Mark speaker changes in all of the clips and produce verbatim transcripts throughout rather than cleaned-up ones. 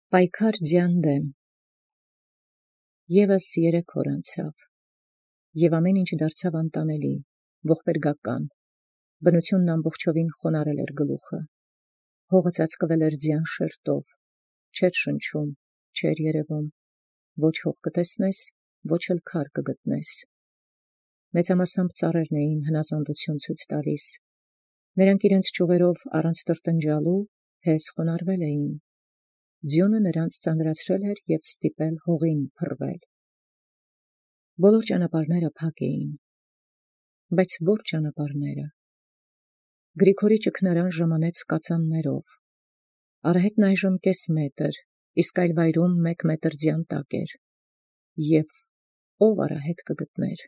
Speaker 1: Պայքար ձյան դեմ։ Եվս երեք օր անցավ, և ամեն ինչ դարձավ անտանելի, ողբերգական, բնութիւնն ամբողջովին խոնարհել էր գլուխը, հողը ծածկվել էր ձյան շերտով, չէր շնչում, չէր երևում, ոչ հող կտեսնես, ոչ էլ քար կգտնես։ Մեծամասամբ ծառերն էին հնազանդություն ցույց տալիս, նրանք իրենց ճյուղերով առանց տրտնջալու հեզ խոնարհվել էին, ձյունը նրանց ծանրացրել էր և ստիպել հողին փռվել։ Բոլոր ճանապարհները փակ էին, բայց ո՞ր ճանապարհները։ Գրիգորի ճգնարան ժամանեց կածաններով, արահետն այժմ կես մետր, իսկ այլ վայրում մեկ մետր ձյան տակ էր, և ո՞վ արահետ կգտներ։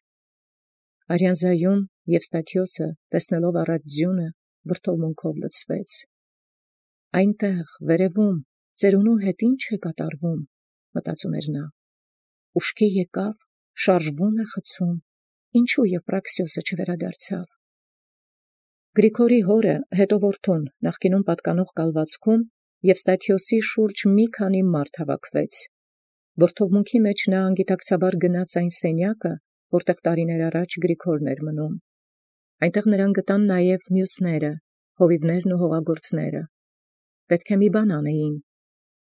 Speaker 1: Արյանզայում Եվստաթիոսը, տեսնելով առատ ձյունը, վրդովմունքով լցվեց։ Այնտեղ վերևում ծերունու հետ ի՞նչ է կատարվում, մտածում էր նա, ուշքի եկավ, շարժվում է խցում, ինչու Եվպրաքսիոսը չվերադարձավ։ Գրիգորի հորը, հետո որդուն, նախկինում պատկանող կալվածքում Եվստաթիոսի շուրջ մի քանի մարդ հավաքվեց։ Վրդովմունքի մեջ նա անգիտակցաբար գնաց այն սենյակը, որտեղ տարիներ առաջ Գրիգորն էր մնում։ Այնտեղ նրան գտան նաև մյուսները, հովիվներն ու հողագործները։ Պետք է մի բան անեին։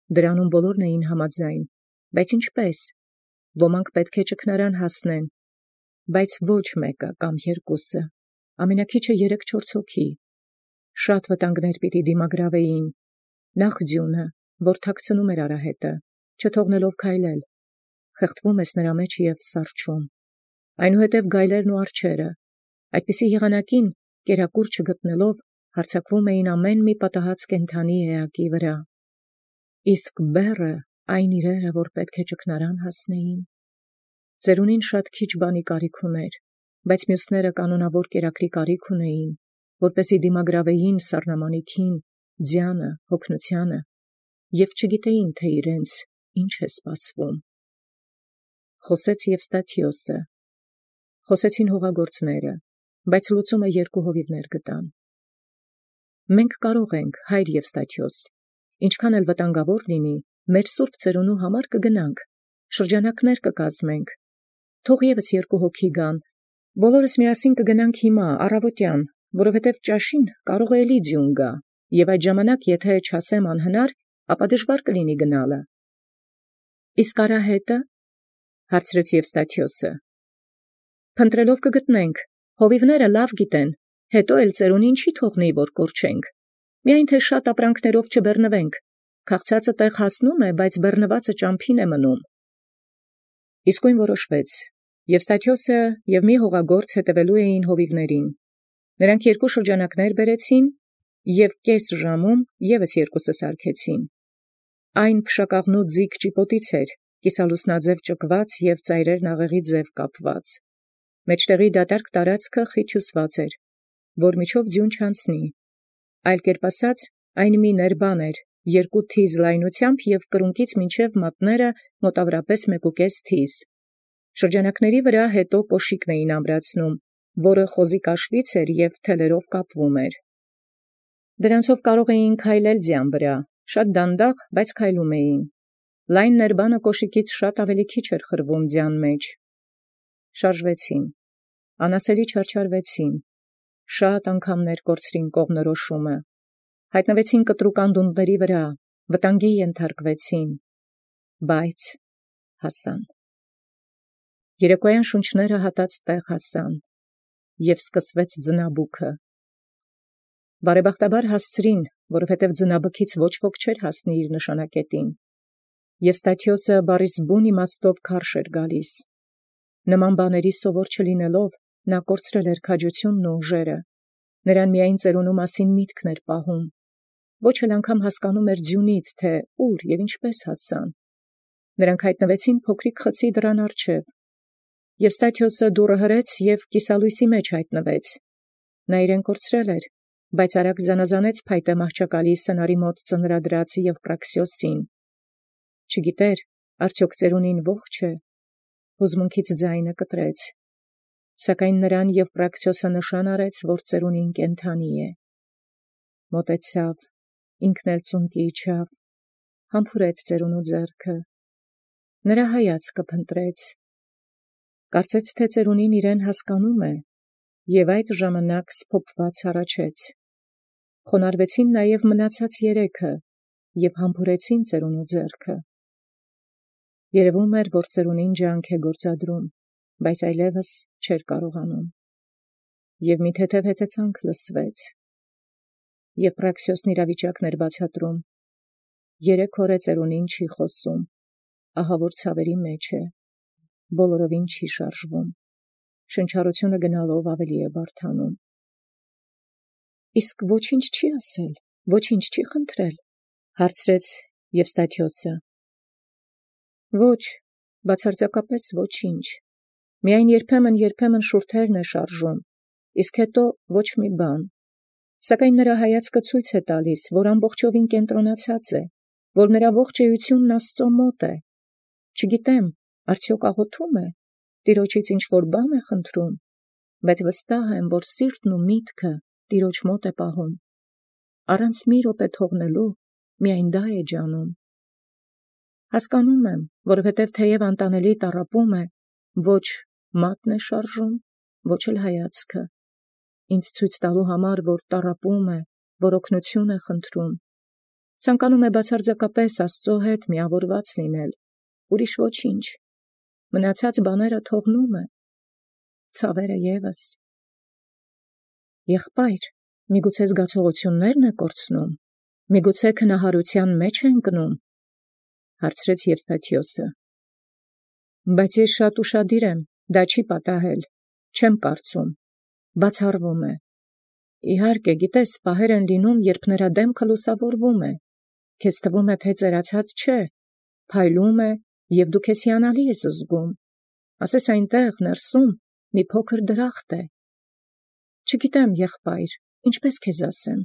Speaker 1: Դրանում բոլորն էին համաձայն, բայց ինչպես։ Ոմանք պետք է ճգնարան հասնեն, բայց ոչ մեկը կամ երկուսը, ամենաքիչը երեք-չորս հոգի։ Շատ վտանգներ պիտի դիմագրավեին։ Նախ ձյունը, որ թաքցնում էր արահետը, չթողնելով քայլել, խեղդվում ես նրա մեջ և սառչում։ Այնուհետև գայլերն ու արջերը, այդպիսի եղանակին, կերակուր չգտնելով, հարձակվում էին ամեն մի պատահած կենդանի էակի վրա։ Իսկ բեռը այն իրերը, որ պետք է ճգնարան հասնեին։ Ծերունին շատ քիչ բանի կարիք ուներ, բայց մյուսները կանոնավոր կերակրի կարիք ունեին, որպեսզի դիմագրավեին սառնամանիքին, ձյանը, հոգնությանը, և չգիտեին, թե իրենց ինչ է սպասվում։ Խոսեց Եվստաթիոսը, խոսեցին հողագործները, բայց լուծումը երկու հովիվներ գտան։ Մենք կարող ենք, հայր Եվստաթիոս, ինչքան էլ վտանգավոր լինի, մեր սուրբ ծերունու համար կգնանք, շրջանակներ կկազմենք, թող ևս երկու հոգի գան, բոլորս միասին կգնանք հիմա, առավոտյան, որովհետև ճաշին կարող է էլի ձյուն գա, և այդ ժամանակ, եթե չասեմ անհնար, ապա դժվար կլինի գնալը։ Իսկ արահետը, հարցրեց Եվստաթիոսը։ Փնտրելով կգտնենք, հովիվները լավ գիտեն, հետո էլ ծերունին չի թողնի, որ կորչենք, միայն թե շատ ապրանքներով չբեռնվենք, քաղցածը տեղ հասնում է, բայց բեռնվածը ճամփին է մնում։ Իսկույն որոշվեց։ Եվստաթիոսը և մի հողագործ հետևելու էին հովիվներին։ Նրանք երկու շրջանակներ բերեցին, և կես ժամում ևս երկուսը սարքեցին։ Այն փշակաղնու ձիգ ճիպոտից էր, կիսալուսնաձև ճկված և ծայրերն աղեղի ձև կապված։ Մեջտեղի դատարկ տարածքը խիտ հյուսված էր, որ միջով ձյուն չանցնի։ Այլ կերպ ասած, այն մի ներբան էր, երկու թիզ լայնությամբ և կրունկից մինչև մատները մոտավորապես մեկուկես թիզ։ Շրջանակների վրա հետո կոշիկն էին ամրացնում, որը խոզի կաշվից էր և թելերով կապվում էր։ Դրանցով կարող էին քայլել ձյան վրա, շատ դանդաղ, բայց քայլում էին։ Լայն ներբանը կոշիկից շատ ավելի քիչ էր խրվում ձյան մեջ։ Շարժվեցին, անասելի չարչարվեցին, շատ անգամներ կորցրին կողմնորոշումը, հայտնվեցին կտրուկ անդունդների վրա, վտանգի ենթարկվեցին, բայց հասան։ Երեկոյան շունչները հատած տեղ հասան, և սկսվեց ձնաբուքը։ Բարեբախտաբար հասցրին, որովհետև ձնաբքից ոչ ոք չէր հասնի իր նշանակետին։ Եվստաթիոսը բառիս բուն իմաստով քարշ էր գալիս։ Նման բաների սովոր չլինելով, նա կորցրել էր քաջությունն ու ուժերը։ Նրան միայն ծերունու մասին միտքն էր պահում։ Ոչ էլ անգամ հասկանում էր ձյունից, թե ուր և ինչպես հասան։ Նրանք հայտնվեցին փոքրիկ խցի դռան առջև։ Եվստաթիոսը դուռը հրեց և կիսալույսի մեջ հայտնվեց։ Նա իրեն կորցրել էր, բայց արագ զանազանեց փայտե մահճակալի սնարի մոտ ծնրադրած Եվպրաքսիոսին։ Չգիտեր, արդյոք ծերունին ողջ է։ Հուզմունքից ձայնը կտրեց։ Սակայն նրան Եվպրաքսիոսը նշան արեց, որ ծերունին կենդանի է։ Մոտեցավ, ինքն էլ ծունկի իջավ, համբուրեց ծերունու ձեռքը, նրա հայացքը փնտրեց, կարծեց թե ծերունին իրեն հասկանում է, և այդ ժամանակ սփոփված հառաչեց. խոնարհվեցին նաև մնացած երեքը և համբուրեցին ծերունու ձեռքը։ Երևում էր, որ ծերունին ջանք է գործադրում, բայց այլևս չէր կարողանում։ Եվ մի թեթև հեծեծանք լսվեց, և Պրաքսիոսն իրավիճակն էր բացատրում. երեք օր է ծերունին չի խոսում, ահավոր ցավերի մեջ է, բոլորովին չի շարժվում, շնչառությունը գնալով ավելի է բարդանում։ Իսկ ոչինչ չի ասել, ոչինչ չի խնդրել, հարցրեց Եվստաթիոսը։ Ոչ, բացարձակապես ոչինչ, միայն երբեմն-երբեմն շուրթերն է շարժում, իսկ հետո ոչ մի բան, սակայն նրա հայացքը ցույց է տալիս, որ ամբողջովին կենտրոնացած է, որ նրա ողջ էությունն Աստծո մոտ է, չգիտեմ, արդյոք աղոթում է, Տիրոջից ինչ-որ բան է խնդրում, բայց վստահ եմ, որ սիրտն ու միտքը Տիրոջ մոտ է պահում, առանց մի րոպե թողնելու միայն դա է ջանում։ Հասկանում եմ, որովհետև թեև անտանելի տառապում է, ոչ մատն է շարժում, ոչ էլ հայացքը, ինձ ցույց տալու համար, որ տառապում է, որ օգնություն է խնդրում, ցանկանում է բացարձակապես Աստծո հետ միավորված լինել, ուրիշ ոչինչ, մնացած բաները թողնում է, ցավերը ևս։ Եղբայր, միգուցե զգացողություննե՞րն է կորցնում, միգուցե քնահարության մեջ է ընկնում, հարցրեց Եվստաթիոսը։ Բայց ես շատ ուշադիր եմ, դա չի պատահել, չեմ կարծում, բացառվում է։ Իհարկե, գիտես, պահեր են լինում, երբ նրա դեմքը լուսավորվում է, քեզ թվում է, թե ծերացած չէ, փայլում է, և դու քեզ հիանալի ես զգում, ասես այնտեղ, ներսում, մի փոքր դրախտ է։ Չգիտեմ, եղբայր, ինչպես քեզ ասեմ,